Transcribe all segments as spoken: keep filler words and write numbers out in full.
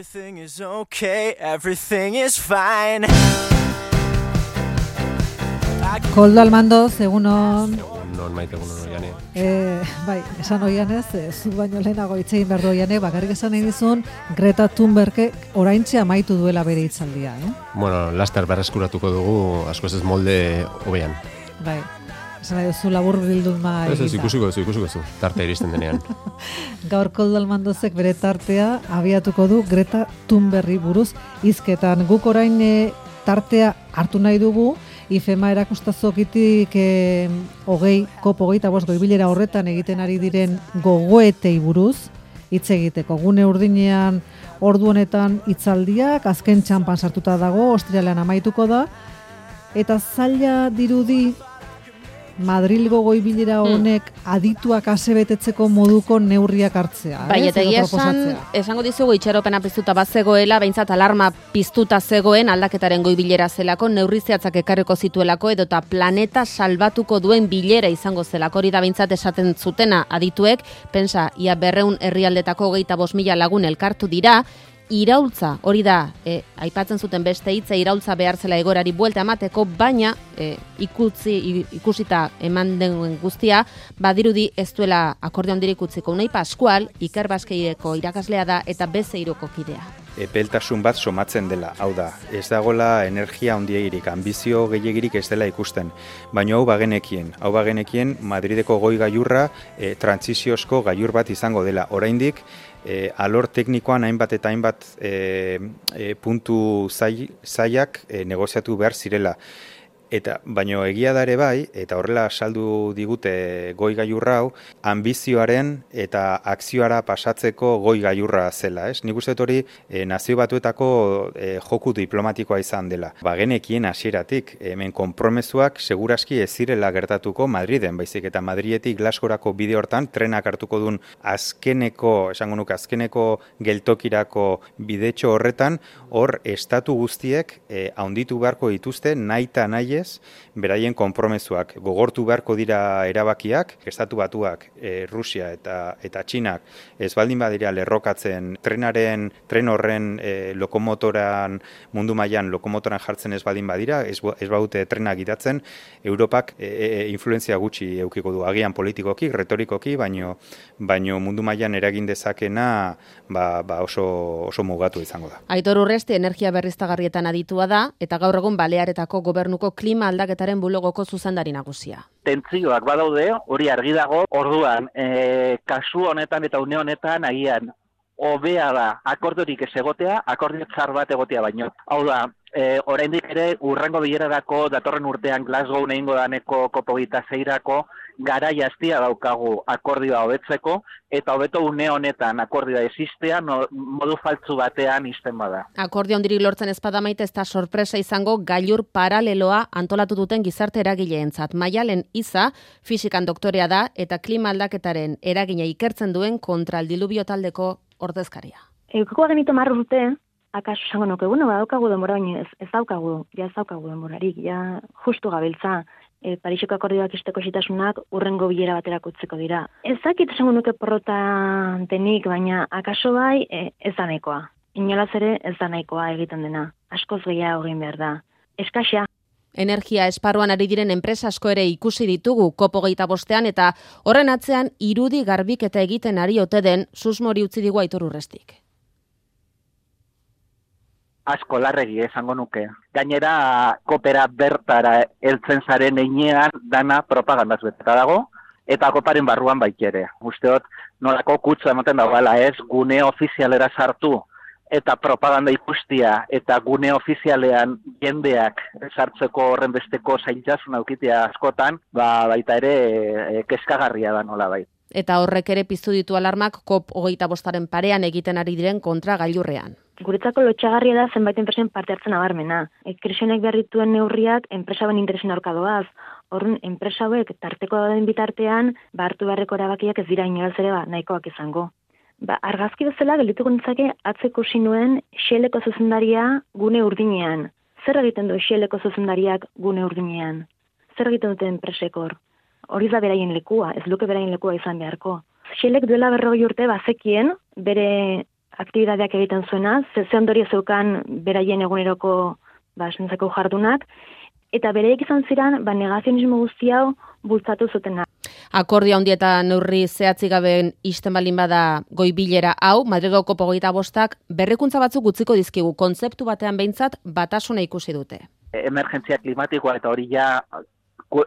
Everything is okay, everything is fine. Koldo Almandoz, egunon. Non maite egunon oiane. Eh, bai, esan oianez, eh, zu baino lehenago hitz egin behar du oiane, bakarrik esan nahi dizun, Greta Thunbergek oraintxe amaitu duela bere hitzaldia, eh? Bueno, laster berreskuratuko dugu, askoz ez molde hobean. Bai, esan nahi duzu labur bilduma Ez ez, egita. ikusiko duzu, ikusiko duzu, tarte iristen denean. Gaur Koldo Almandozek bere tartea abiatuko du Greta Thunbergri buruz hizketan. Guk orain eh, tartea hartu nahi dugu, IFEMA erakustazokitik eh, hogei, kop hogeita bost goibilera horretan egiten ari diren gogoetei buruz hitz egiteko. Gune urdinean ordu honetan hitzaldiak, azken txanpan sartuta dago, ostiralean amaituko da, eta zaila dirudi Madrilgo goibilera honek adituak asebetetzeko moduko neurriak hartzea. Bai, ez? eta Edo egia esan, proposatzea. esango dizugu itxaropena piztuta bazegoela, behintzat alarma piztuta zegoen aldaketaren goi bilera zelako, neurri zehatzak ekarriko zituelako, edota planeta salbatuko duen bilera izango zelako, hori da behintzat esaten zutena adituek, pensa, ia berreun herrialdetako hogeita bost mila lagun elkartu dira, iraultza, hori da, e, aipatzen zuten beste hitza, iraultza behar zela egorari buelta emateko, baina e, ikutzi, ikusita eman den guztia, badirudi ez duela akordio handirik utziko. Unai Pascual, Iker Baskeireko irakaslea da eta Bezeiroko kidea. Epeltasun bat somatzen dela, hau da, ez dagola energia handiegirik, ambizio gehiegirik ez dela ikusten, baina hau bagenekien, hau bagenekien Madrideko goi gailurra e, trantsiziozko gailur bat izango dela, oraindik e, alor teknikoan hainbat eta hainbat e, e, puntu zai, zaiak e, negoziatu behar zirela. Eta baino egia da ere bai, eta horrela saldu digute goi gailurra hau, ambizioaren eta akzioara pasatzeko goi gailurra zela, ez? Nik uste dut hori e, nazio batuetako e, joku diplomatikoa izan dela. Bagenekien hasieratik, hemen konpromezuak seguraski ez zirela gertatuko Madriden, baizik eta Madridetik Glasgowrako bide hortan trenak hartuko duen azkeneko, esango nuke azkeneko geltokirako bidetxo horretan, hor estatu guztiek e, handitu beharko dituzte naita nahi beraien konpromezuak gogortu beharko dira erabakiak, estatu batuak, e, Rusia eta eta Txinak ez baldin badira lerrokatzen trenaren, tren horren e, lokomotoran, mundu mailan lokomotoran jartzen ez baldin badira, ez, ez baute trenak gidatzen, Europak e, e, influentzia gutxi eukiko du, agian politikoki, retorikoki, baino, baino mundu mailan eragin dezakena ba, ba oso, oso mugatu izango da. Aitor Urresti energia berriztagarrietan aditua da, eta gaur egun Balearetako gobernuko klima aldaketaren bulogoko zuzendari nagusia. Tentzioak badaude, hori argi dago, orduan, e, kasu honetan eta une honetan agian hobea da akordiorik ez egotea, akordio txar bat egotea baino. Hau da, e, oraindik ere urrengo bilerarako datorren urtean Glasgow egingo daneko kop hogeita seirako garai hastia daukagu akordioa hobetzeko, eta hobeto une honetan akordioa existea no, modu faltzu batean izten bada. Akordio handirik lortzen ezpada maite ez da sorpresa izango gailur paraleloa antolatu duten gizarte eragileentzat. Maialen Iza, fisikan doktorea da eta klima aldaketaren eragina ikertzen duen kontraldilubio taldeko ordezkaria. Eukiko genito marru urte, akaso esango nuke, bueno, badaukagu denbora, baina ez, ez daukagu, ja ez daukagu denborarik, ja justu gabiltza. E, Pariseko akordioak isteko xitasunak urrengo bilera baterako utziko dira. Ez dakit esango nuke porrota denik, baina akaso bai e, ez da nahikoa. Inolaz ere ez da nahikoa egiten dena. Askoz gehiago egin behar da. Eskaxa. Energia esparruan ari diren enpresa asko ere ikusi ditugu kop hogeita bostean eta horren atzean irudi garbiketa egiten ari ote den susmori utzi digu Aitor Urrestik. Asko larregi esango nuke. Gainera, kopera bertara heltzen zaren einean dana propagandaz beteta dago, eta koparen barruan baikere. Usteot, nolako kutsa ematen dagoela ez, gune ofizialera sartu, eta propaganda ikustia, eta gune ofizialean jendeak sartzeko horren besteko zailtasun aukitea askotan, ba, baita ere e, kezkagarria da nola bai. Eta horrek ere piztu ditu alarmak kop hogeita bostaren parean egiten ari diren kontra gailurrean. Guretzako lotxagarria da zenbait enpresen parte hartzen abarmena. E, Krisionek berrituen neurriak enpresaben interesen aurka doaz. Horren enpresa hauek tarteko dauden bitartean, ba hartu beharreko erabakiak ez dira inolaz ere ba, nahikoak izango. Ba, argazki bezala geldituko nintzake atzeko sinuen Shelleko zuzendaria gune urdinean. Zer egiten du Shelleko zuzendariak gune urdinean? Zer egiten dute enpresekor? Hori da beraien lekua, ez luke beraien lekua izan beharko. Shellek duela berrogei urte bazekien bere aktibidadeak egiten zuena, ze ze ondorio zeukan beraien eguneroko ba, esentzako jardunak, eta bereik izan ziren, ba, negazionismo guzti hau bultzatu zutena. Akordio handi eta neurri zehatzik gabe isten balin bada goi bilera hau, Madrilgo kopo hogeita bostak berrikuntza batzuk utziko dizkigu, kontzeptu batean behintzat batasuna ikusi dute. Emergentzia klimatikoa eta hori ja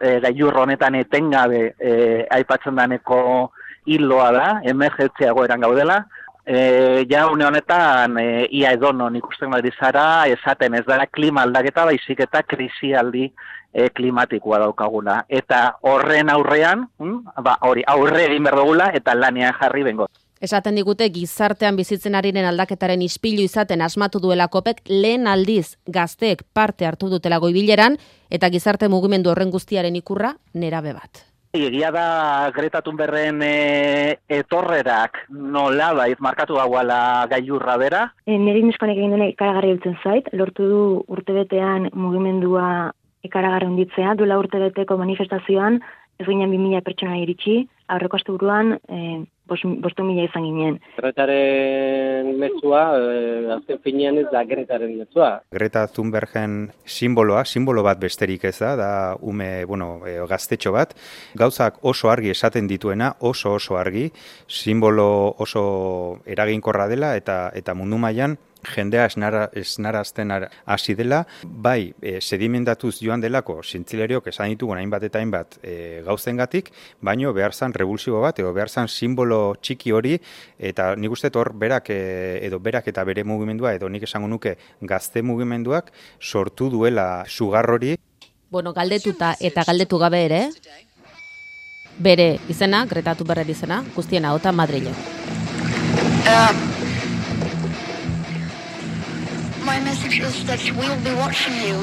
e, gailur honetan etengabe e, aipatzen daneko hiloa da, emergentzia egoeran gaudela. E, ja une honetan e, ia edonon ikusten bari zara, esaten ez dara klima aldaketa, baizik eta krisialdi e, klimatikoa daukaguna. Eta horren aurrean, hm, ba, hori aurre egin behar dugula eta lanean jarri bengo. Esaten digute gizartean bizitzen ariren aldaketaren ispilu izaten asmatu duela kopek lehen aldiz gazteek parte hartu dutela goibileran eta gizarte mugimendu horren guztiaren ikurra nerabe bat. Egia da Greta Thunbergen e, etorrerak nolabait markatu dagoela gailurra bera. E, Neri neskonek egin duena ikaragarri biltzen zait, lortu du urtebetean mugimendua ikaragarri honditzea, duela urtebeteko manifestazioan, ez ginen bi mila pertsona iritsi, aurreko asteburuan e, bostu mila izan ginen. Gretaren mezua, e, azken finean ez da Gretaren mezua. Greta Thunbergen simboloa, simbolo bat besterik ez da, da ume, bueno, e, gaztetxo bat, gauzak oso argi esaten dituena, oso oso argi, simbolo oso eraginkorra dela eta eta mundu mailan jendea esnara, esnarazten hasi dela, bai, e, sedimentatuz joan delako, zintzileriok esan ditugun hainbat eta hainbat e, gauzengatik, baino behar zan revulsibo bat, edo behar zan simbolo txiki hori, eta nik uste hor berak, e, edo berak eta bere mugimendua, edo nik esango nuke gazte mugimenduak sortu duela sugar hori. Bueno, galdetuta eta galdetu gabe ere, bere izena, Greta Thunberg izena, guztien ahota Madrilen. Uh. My message is that we'll be watching you.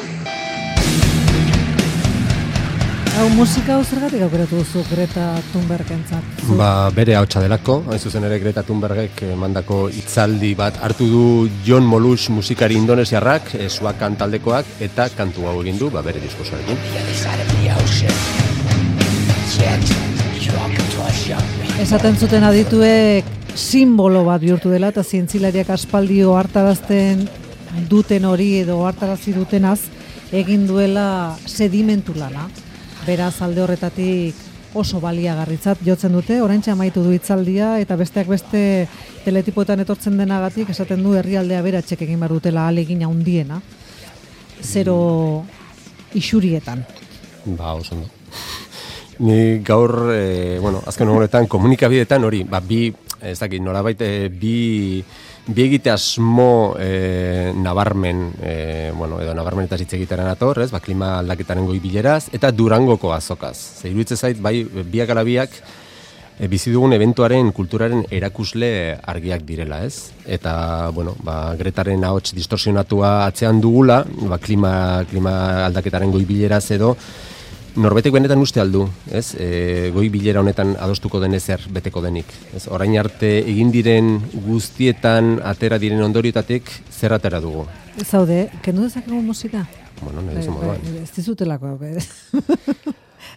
Hau musika hau zergatik aukeratu duzu Greta Thunbergentzat? Ba, bere hautsa delako, hain zuzen ere Greta Thunbergek mandako hitzaldi bat hartu du John Molush musikari indonesiarrak, Suakan taldekoak, eta kantu hau egin du, ba, bere diskursoarekin. Esaten zuten adituek simbolo bat bihurtu dela, eta zientzilariak aspaldi ohartarazten duten hori edo hartarazi dutenaz egin duela sedimentu lana. Beraz alde horretatik oso baliagarritzat jotzen dute, oraintxe amaitu du hitzaldia eta besteak beste teletipoetan etortzen denagatik esaten du herrialdea beratxek egin behar dutela ahalegin handiena. Zero isurietan. Ba, oso ondo. Ni gaur, e, bueno, azken honetan komunikabideetan hori, ba, bi, ez dakit, nolabait, e, bi Bi egite asmo e, nabarmen, e, bueno, edo nabarmen eta hitz egiteran ator, ez, ba, klima aldaketaren goi bileraz, eta Durangoko azokaz. Ze iruditzen zait, bai, biak ala biak, e, bizi dugun eventuaren kulturaren erakusle argiak direla, ez? Eta, bueno, ba, Gretaren ahots distorsionatua atzean dugula, ba, klima, klima aldaketaren goi bileraz edo, norbetek benetan uste aldu, ez? E, goi bilera honetan adostuko den ezer beteko denik. Ez? Orain arte egin diren guztietan atera diren ondoriotatik zer atera dugu. Zaude, kendu dezakegu musika? Bueno, nahi duzu moduan. Ez dizutelako,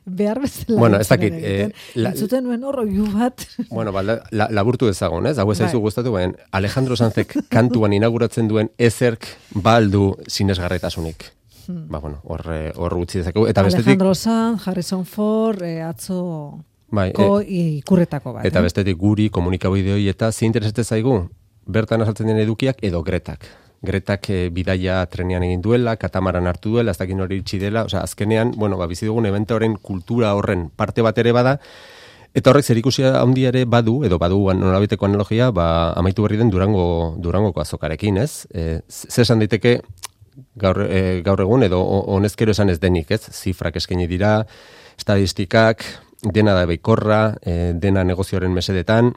behar bezala. Bueno, ez dakit. Eh, Entzuten nuen horroiu bat. Bueno, ba, la, laburtu ezagun, ez? Hau ez zaizu gustatu, ben, Alejandro Sanzek kantuan inauguratzen duen ezerk baldu sinesgarretasunik. Hmm. Ba, bueno, hor, hor utzi dezakegu. Eta bestetik... Alejandro Sanz, Harrison Ford, eh, atzo bai, ko e, ikurretako bat. Eta eh? bestetik guri komunikabideoi eta ze interesatzen zaigu? Bertan azaltzen den edukiak edo Gretak. Gretak e, bidaia trenean egin duela, katamaran hartu duela, ez dakin hori itxi dela, osea, azkenean, bueno, ba, bizi dugun evento horren kultura horren parte bat ere bada, eta horrek zerikusia handia ere badu, edo badu nolabiteko analogia, ba, amaitu berri den Durango, Durangoko azokarekin, ez? E, ze esan daiteke, Gaur, e, gaur egun edo honezkero esan ez denik, ez? Zifrak eskaini dira, estadistikak, dena da beikorra, e, dena negozioaren mesedetan,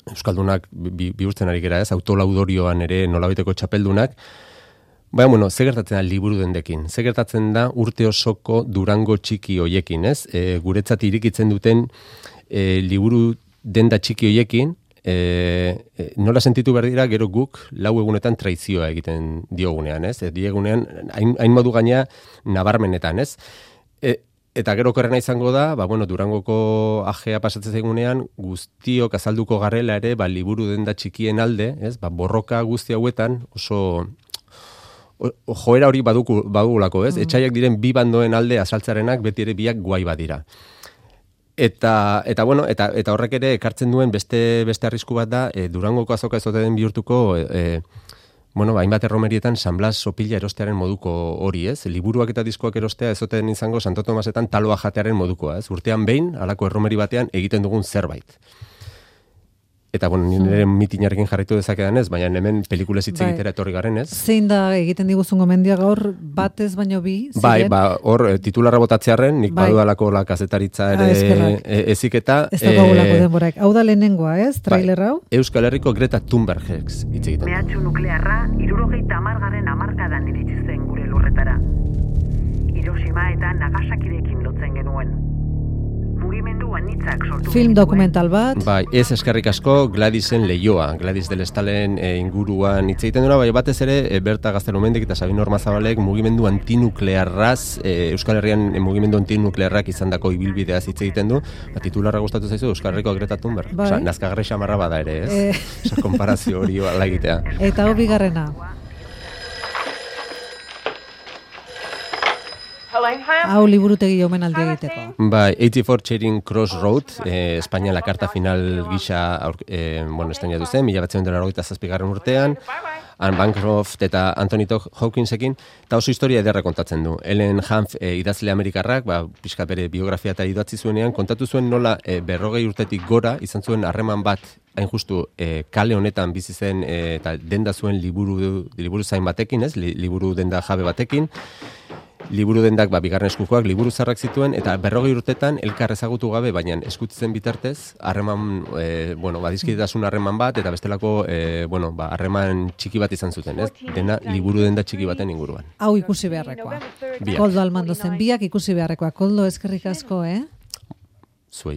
Euskaldunak bi, bihurtzen ari gera, ez? Autolaudorioan ere nolabiteko txapeldunak. Baina, bueno, ze gertatzen da liburu dendekin? Ze gertatzen da urte osoko Durango txiki hoiekin, ez? E, guretzat irikitzen duten e, liburu denda txiki hoiekin, E, e, nola sentitu behar dira gero guk lau egunetan traizioa egiten diogunean, ez? E, diegunean, hain, hain modu gaina nabarmenetan, ez? E, Eta gero korrena izango da, ba, bueno, Durangoko ajea pasatzen zaigunean, guztiok azalduko garela ere, ba, liburu denda txikien alde, ez? Ba, borroka guzti hauetan oso o, joera hori baduku, badugulako, ez? Mm. Etxaiak diren bi bandoen alde azaltzarenak beti ere biak guai badira. Eta, eta bueno, eta, eta horrek ere ekartzen duen beste beste arrisku bat da, e, Durangoko azoka ez ote den bihurtuko, e, bueno, hainbat erromerietan San Blas sopila erostearen moduko hori, ez? Liburuak eta diskoak erostea ez ote den izango Santo Tomasetan taloa jatearen modukoa, ez? Urtean behin, halako erromeri batean egiten dugun zerbait. Eta, bueno, nire mitinarekin jarraitu dezakedan ez, baina hemen pelikulez hitz egitera etorri garen ez. Zein da egiten diguzun gomendia gaur, batez baino bi? Ziren? Bai, ba, hor, titularra botatzearen, nik bai. Badudalako la kazetaritza ere ah, eziketa. Ez da gogulako denborak. Hau da lehenengoa, ez? Trailer hau? Bai. Euskal Herriko Greta Thunberg hitz egiten. Mehatxu nuklearra, hirurogeita hamargarren hamarkadan iritsi zen gure lurretara. Hiroshima eta Nagasakirekin lotzen genuen. Film dokumental bat. Bai, ez eskerrik asko Gladisen Leioa, Gladys del Estalen e, inguruan hitz egiten dura, bai batez ere e, Berta Gaztelumendik eta Sabin Ormazabalek mugimendu antinuklearraz, e, Euskal Herrian e, mugimendu antinuklearrak izandako ibilbideaz hitz egiten du. Ba, titularra gustatu zaizu Euskal Herriko Greta Thunberg. Bai. Osea, nazkagarri xamarra bada ere, ez? E... Osa, konparazio hori ala egitea. Eta hau bigarrena. Hau liburutegi omenaldi egiteko. Bai, eighty-four Charing Cross Road, eh, Espainia la karta final gisa, eh, bueno, estrenatu zen, mila bederatziehun eta laurogeita zazpigarren urtean, Anne Bancroft eta Anthony Hawkinsekin, eta oso historia ederra kontatzen du. Ellen Hanf eh, idazle amerikarrak, ba, pixka bere biografia eta idatzi zuenean, kontatu zuen nola eh, berrogei urtetik gora izan zuen harreman bat hain justu eh, kale honetan bizi zen eh, eta denda zuen liburu, liburu zain batekin, ez? Li, liburu denda jabe batekin, liburu dendak ba, bigarren eskukoak liburu zarrak zituen, eta berrogei urtetan elkar ezagutu gabe, baina eskutitzen bitartez, harreman, e, bueno, badizkidetasun harreman bat, eta bestelako, e, bueno, ba, harreman txiki bat izan zuten, ez? Dena liburu denda txiki baten inguruan. Hau ikusi beharrekoa. Biak. Koldo Almando zen, biak ikusi beharrekoa. Koldo, eskerrik asko, eh? Zuei.